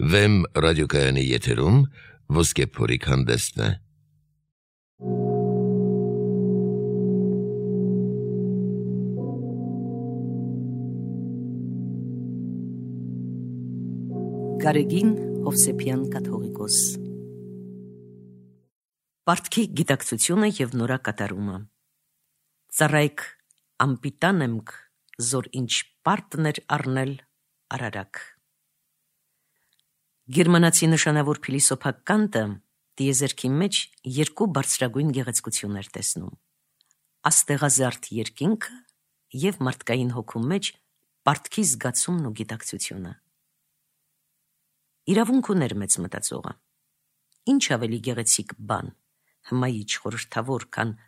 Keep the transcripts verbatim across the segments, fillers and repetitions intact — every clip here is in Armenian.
Վեմ ռադիոկայանի եթերում ոսկե փորիկ հանդեսն է։ Գարեգին Հովսեփյան կաթողիկոս Պարտքի գիտակցությունը և նորակատարումը Ծառայք ամպիտանեմք զոր ինչ պարտներ առնել արարակ Գերմանացի նշանավոր փիլիսոփա Կանտը տիեզերքի մեջ երկու բարձրագույն գեղեցկություններ տեսնում աստեղազարդ երկինքը և մարդկային հոգու մեջ պարտքի զգացումն ու գիտակցությունը Իրավունք ուներ մեծ մտածողը Ինչ ավելի գեղեցիկ բան հմայիչ խորհրդավոր քան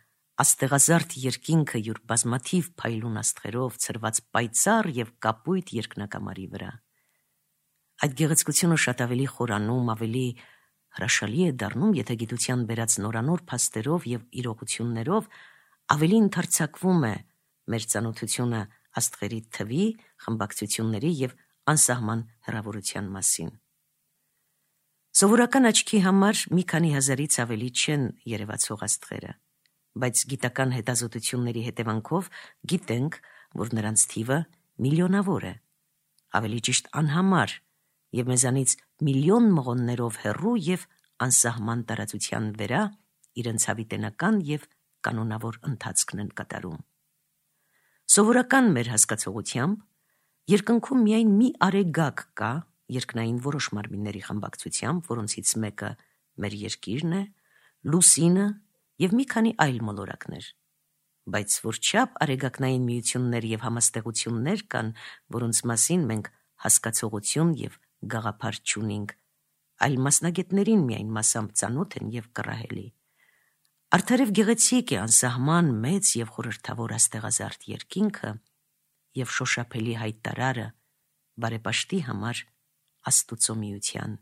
աստեղազարդ երկինքը յուր բազմաթիվ փայլուն աստղերով ցրված պայծառ և կապույտ երկնակամարի վրա Այդ գեղեցկությունը շատ ավելի խորանում ավելի հրաշալի է դառնում եթե գիտության բերած նորանոր փաստերով և իրողություններով ավելի ընդարձակվում է մեր ծանոթությունը աստղերի թվի, խմբակցությունների և անսահման հեռավորության մասին Սովորական աչքի համար մի քանի հազարից ավելի չեն երևացող աստղերը, բայց գիտական հետազոտությունների հետևանքով գիտենք, որ նրանց թիվը միլիոնավոր է, ավելի ճիշտ անհամար և մեզանից միլիոն մղոններով հեռու և անսահման տարածության վրա իրենց հավիտենական և կանոնավոր ընթացքն են կատարում։ Սովորական մեր հասկացողությամբ երկնքում միայն մի արեգակ կա երկնային որոշ մարմինների խմբակցությամբ, որոնցից մեկը մեր երկիրն է, լուսինը և մի քանի այլ մոլորակներ, բայց որչափ արեգակնային միություններ և համաստեղություններ կան, որոնց մասին մենք հասկացողություն և գաղափար չունենք, այլ մասնագետներին միայն մասամբ ծանոթ են և կռահելի։ Արդարև գեղեցիկ է անսահման մեծ և խորհրդավոր աստեղազարդ երկինքը և շոշափելի հայտարարը բարեպաշտի համար Աստուծո միության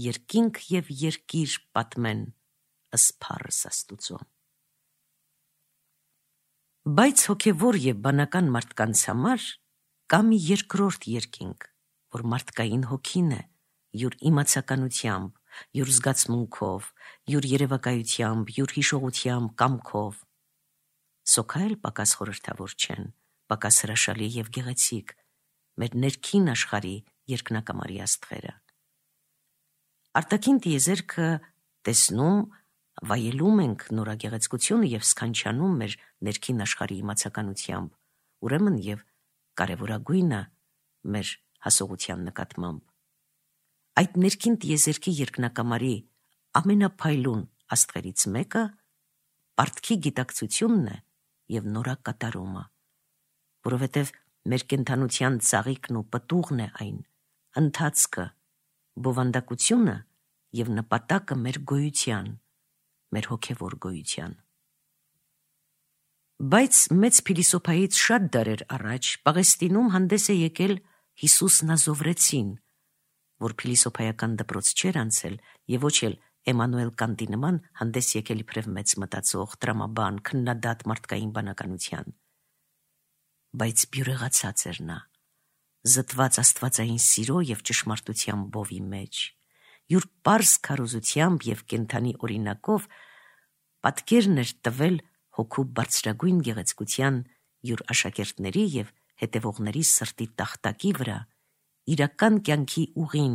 Երկինք և երկիր պատմեն ըսփառս Աստուծո Բայց հոգևոր և բանական մարդկանց համար կա մի երկրորդ երկինք, որ մարդկային հոգին է, յուր իմացականությամբ, յուր զգացմունքով, յուր երևակայությամբ, յուր հիշողությամբ, կամքով Սոքա էլ պակաս խորհրդավոր չեն, պակաս հրաշալի և գեղեցիկ, մեր ներքին աշխարհի երկնակամարի աստղերը։ Արտաքին տիեզերքը տեսնում, վայելում ենք նորագեղեցկությունը և սքանչանում մեր ներքին աշխարհի իմացականությամբ, ուրեմն և կարևորագույնը մեր հասողության նկատմամբ։ Այդ ներքին տիեզերքի երկնակամարի ամենափայլուն աստղերից մեկը պարտքի գիտակցությունն է և նորակատարումը, որովհետև մեր կենդանության ծաղիկն ու պտուղն է այն, ընթացքը, բովանդակությունը և նպատակը մեր գոյության, մեր հոգևոր գոյության։ Բայց մեծ փիլիսոփայից շատ դարեր առաջ Պաղեստինում հանդես է եկել Հիսուս Նազովրեցին, որ փիլիսոփայական դպրոց չէր անցել և ոչ էլ Էմանուել Կանտի նման հանդես եկել իբրև մեծ մտածող, տրամաբան, քննադատ մարդկային բանականության։ Բայց բյուրեղացած էր նա, զտված աստվածային սիրո և ճշմարտության բովի մեջ, յուր պարզ քարոզությամբ և կենդանի օրինակով պատկերն էր տվել հոգու բարձրագույն գեղեցկության յուր աշակերտների և հետևողների սրտի տախտակի վրա իրական կյանքի ուղին,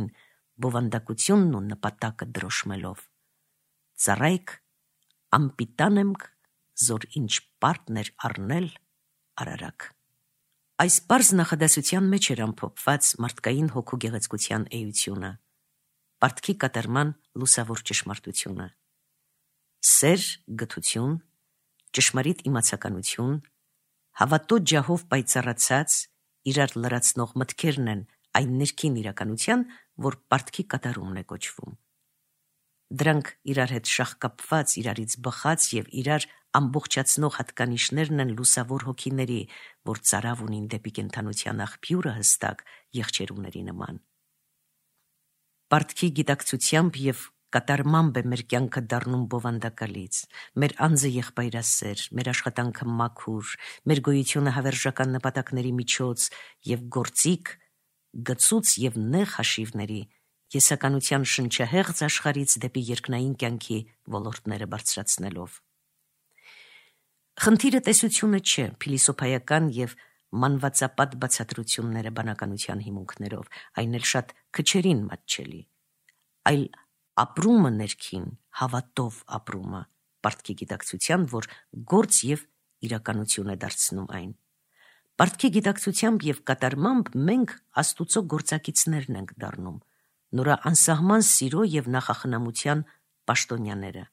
բովանդակությունն ու նպատակը դրոշմելով։ Ծառայք ամպիտանեմք զոր ինչ պարտներ առնել արարակ։ Այս պարզ նախադասության մեջ էր ամփոփված մարդկային հոգու գեղեցկության էությունը, պարտքի կատարման լուսավոր ճշմարտությունը։ Սեր, գթություն, ճշմարիտ իմացականություն, հավատո ջահով պայծառացած, իրար լրացնող մտքերն են այն ներքին իրականության, որ պարտքի կատարումն է կոչվում։ Դրանք իրար հետ շաղկապված, իրարից բխած և իրար ամբողջացնող հատկանիշներն են լուսավոր հոգիների, որ ծարավ ունին դեպի կենդանության աղբյուրը հստակ եղջերուների նման։ Պարտքի գիտակցությամբ և կատարմամբ է մեր կյանքը դառնում բովանդակալից, մեր անձը եղբայրասեր, մեր աշխատանքը մաքուր, մեր գոյությունը հավերժական նպատակների միջոց և գործիք, գծուծ և նեղ հաշիվների եսականության շնչահեղձ աշխարհից դեպի երկնային կյանքի ոլորտները բարձրացնելով։ Խնդիրը տեսությունը չէ, փիլիսոփայական եւ մանվածապատ բացատրությունները բանականության հիմունքներով, այն էլ շատ քչերին մատչելի, այլ ապրումը ներքին, հավատով ապրումը, պարտքի գիտակցության, որ գործ եւ իրականություն է դարձնում այն։ Պարտքի գիտակցությամբ եւ կատարմամբ մենք Աստուծո գործակիցներն ենք դառնում, նորա անսահման սիրո եւ նախախնամության պաշտոնյաները։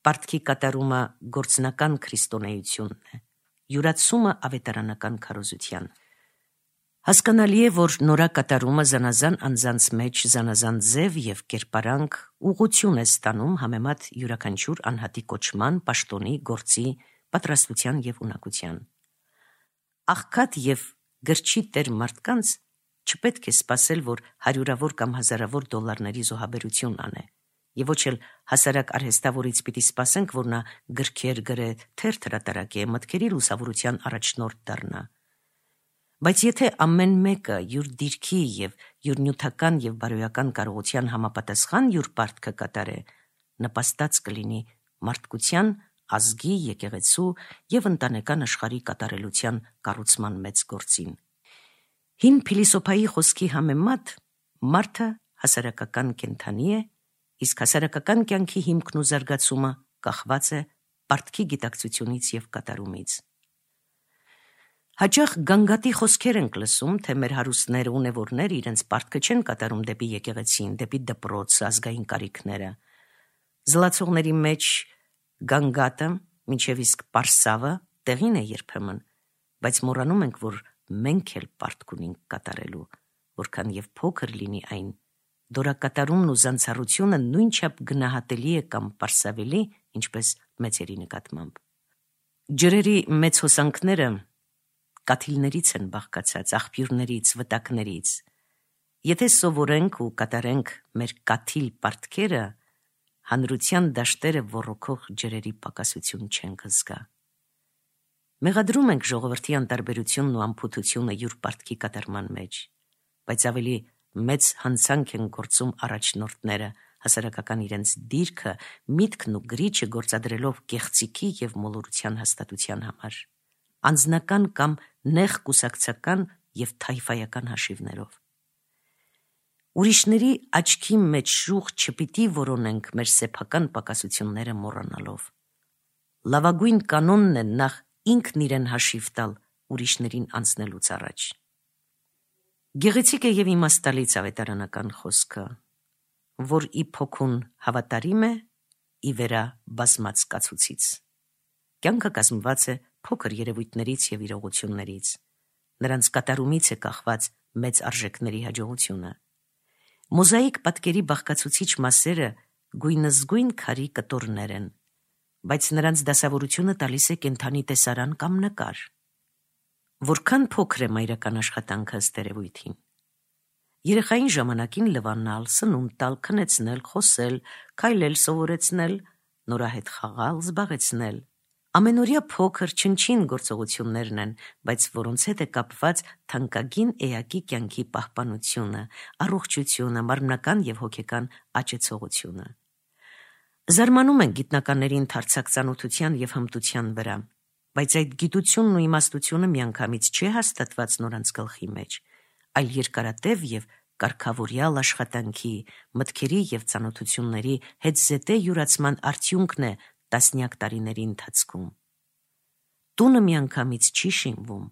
Պարտքի կատարումը գործնական քրիստոնեությունն է, յուրացումը ավետարանական քարոզության։ Հասկանալի է, որ նորա կատարումը զանազան անձանց մեջ զանազան ձև եւ կերպարանք ուղղություն է ստանում համեմատ յուրաքանչյուր անհատի կոչման, պաշտոնի, գործի, պատրաստության եւ ունակության։ Աղքատ եւ գրչի տեր մարդկանց չպետք է սպասել, որ հարյուրավոր կամ հազարավոր դոլարների զոհաբերություն անե, եւ ոչ էլ հասարակ արհեստավորից պիտի սպասենք, որ նա գրքեր գրե, թերթ հրատարակե, մտքերի լուսավորության առաջնորդ դառնա։ Բայց եթե ամեն մեկը յուր դիրքի եւ յուր նյութական եւ բարոյական կարողության համապատասխան յուր պարտքը կատարե, նպաստած կլինի մարդկության, ազգի, եկեղեցու եւ ընտանեկան աշխարհի կատարելության կառուցման մեծ գործին։ Հին փիլիսոփայի խոսքի համեմատ մարդը հասարակական կենդանի է, իսկ հասարակական կյանքի հիմքն ու զարգացումը կախված է պարտքի գիտակցությունից եւ կատարումից։ Հաճախ գանգատի խոսքեր ենք լսում, թե մեր հարուստները, ունևորները իրենց պարտքը չեն կատարում դեպի եկեղեցին, դեպի դպրոց, ազգային կարիքները։ Զլացողների մեջ գանգատը, մինչև իսկ պարսավը տեղին է երբեմն, բայց մոռանում ենք, որ մենք էլ պարտք ունենք կատարելու, որքան եւ փոքր լինի այն, դորակատարումն ու զանցառությունը նույնչափ գնահատելի է կամ պարսավելի, ինչպես մեծերի նկատմամբ։ Ջրերի մեծ հոսանքները կաթիլներից են բաղկացած, աղբյուրներից, վտակներից։ Եթե սովորենք ու կատարենք մեր կաթիլ պարտքերը, հանրության դաշտերը ոռոգող ջրերի պակասություն չենք զգա։ Մեղադրում ենք ժողովրդի անտարբերությունն ու անփութությունը յուր պարտքի կատարման մեջ, բայց ավելի մեծ հանցանք են գործում առաջնորդները, հասարակական իրենց դիրքը, միտքն ու գրիչը գործադրելով կեղծիքի եւ մոլորության հաստատության համար, անձնական կամ նեղ կուսակցական եւ թայֆայական հաշիվներով։ Ուրիշների աչքի մեջ շուխ չպիտի որոնենք մեր սեփական պակասությունները մոռանալով։ Լավագույն կանոնն է նախ ինքն իրեն հաշիվ տալ ուրիշներին անցնելուց առաջ։ Գեղեցիկ է եւ իմաստալից ավետարանական խոսքը, որ ի փոքուն հավատարիմ է, ի վերա բազմած կացուցից։ Կյանքը կազմված է փոքր երևույթներից եւ իրողություններից, նրանց կատարումից է կախված մեծ արժեքների հաջողությունը։ Մոզաիկ պատկերի բաղկացուցիչ մասերը գույնզգույն քարի կտորներ են, բայց նրանց դասավորությունը տալիս է կենդանի տեսարան կամ նկար։ Որքան փոքր է մայրական աշխատանքը ըստ երևույթին։ Երեխային ժամանակին լվանալ, սնունդ տալ, քնեցնել, խոսել, քայլել սովորեցնել, նորահետ խաղալ, զբաղեցնել։ Ամենօրյա փոքր չնչին գործողություններն են, բայց որոնց հետ է կապված թանկագին էակի կյանքի պահպանությունը, առողջությունը, մարմնական եւ հոգեկան աճեցողությունը։ Զարմանում են գիտնականների ընդարձակ ծանոթության եւ հմտության վրա, բայց այդ գիտությունն ու իմաստությունը միանգամից չի հաստատված նորանց գլխի մեջ, այլ երկարատև եւ կարգավորյալ աշխատանքի, մտքերի եւ ծանոթությունների հետզետե յուրացման արդյունքն է տասնյակ տարիների ընթացքում։ Տունը միանգամից չի շինվում,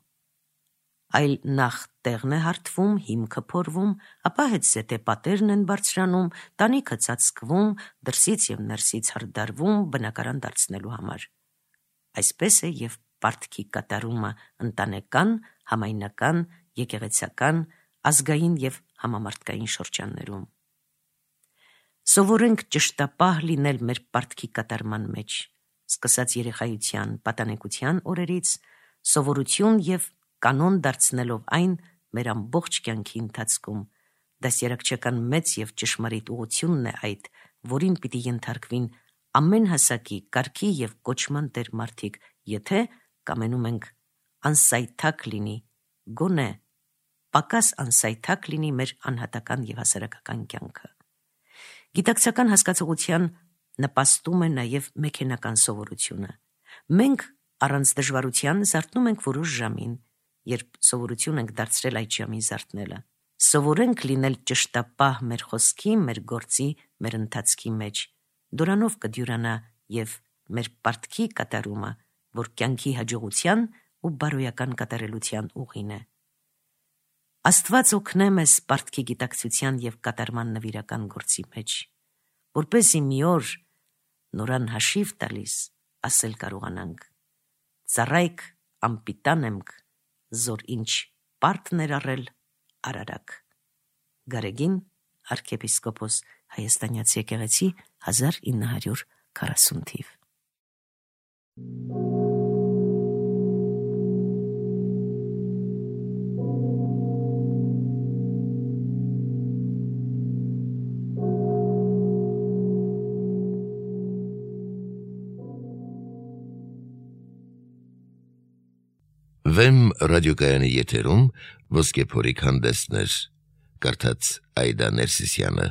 այլ նախ տեղն է հարթվում, հիմքը փորվում, ապա հետզետե պատերն են բարձրանում, տանիքը ծածկվում, դրսից եւ ներսից հրդարվում բնակարան դարձնելու համար։ Այսպես է եւ պարտքի կատարումը ընտանեկան, համայնական, եկեղեցական, ազգային եւ համամարտկային շրջաններում։ Սովորենք ճշտապահ լինել մեր պարտքի կատարման մեջ, սկսած երեխայության, պատանեկության օրերից, սովորություն եւ կանոն դարձնելով այն մեր ամբողջ կյանքի ընթացքում։ Դասերակցական մեծ եւ ճշմարիտ ուղղությունն է այդ, որին պիտի ենթարկվին ամեն հասակի, կարգի եւ կոչման տեր մարդիկ, եթե կամենում ենք անսայթակ լինի գոնե պակաս անսայթակ լինի մեր անհատական եւ հասարակական կյանքը։ Գիտակցական հասկացողության նպաստում է նաեւ մեքենական սովորությունը։ Մենք առանց դժվարության զարթնում ենք որոշ ժամին, երբ սովորություն ենք դարձրել այդ ժամին զարթնելը։ Սովորենք լինել ճշտապահ մեր խոսքի, մեր գործի, մեր ընթացքի մեջ։ Դրանով կդյուրանա եւ մեր պարտքի կատարումը, որ կյանքի հաջողության ու բարոյական կատարելության ուղին է։ Աստված օգնե մեզ պարտքի գիտակցության եւ կատարման նվիրական գործի մեջ, որպեսզի մի օր նորան հաշիվ տալիս ասել կարողանանք. «Ծառայք անպիտան էմք, զոր ինչ պարտներ առել արարակ»։ Գարեգին, arczepiskopos Հայաստանյաց եկեղեցի, հազար ինը հարյուր քառասուն թիվ։ Վեմ ռադիոկայանի եթերում ոսկե փորիկ հանդեսներ, կարդաց Այդա Ներսիսյանը։